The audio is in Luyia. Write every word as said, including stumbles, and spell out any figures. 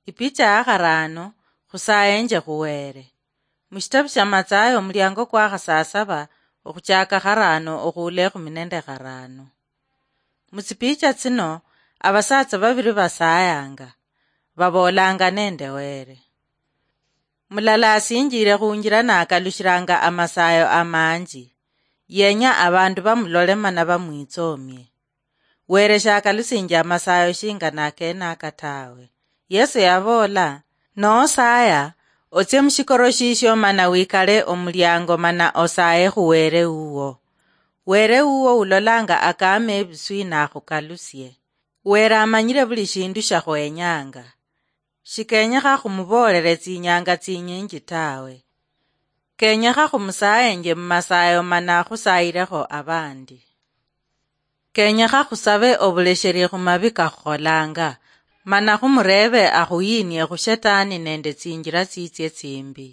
Ipicha ya kharaano, khusayenje khuweere. Mushitabu sha Matsayo, omuliango kwa khasasaba, okhuchaka kharaano okhuula ekhumi nende kharaano. Mutsipicha tsino, abasatsa babiri basayanga, baboolanga nende Weere. Mulala asinjire khunjira nakalushiranga amasayo amanji. Yenya abandu bamulole mana bamwitsomie. Weere shakalusinjia amasayo shinga nakenaka tawe. Yesu yaboola, "Nosaya, otsie mushikoro shishio mana wikale omuliango mana osaye khu Weere wuwo. Weere wuwo ulolanga akame ebiswi nakhukalusie. Weere amanyire buli shindu shakhwenyanga." Shikenyekha khumuboolere tsinyanga tsinyinji tawe. Kenyekha khumusayenje mumasayo mana khusayilekho abandi. Kenyekha khusabe obulesheri khumabi kakhukholanga, mana khumureebe akhuyinie khu Shetani nende tsinjira tsitsie tsimbi.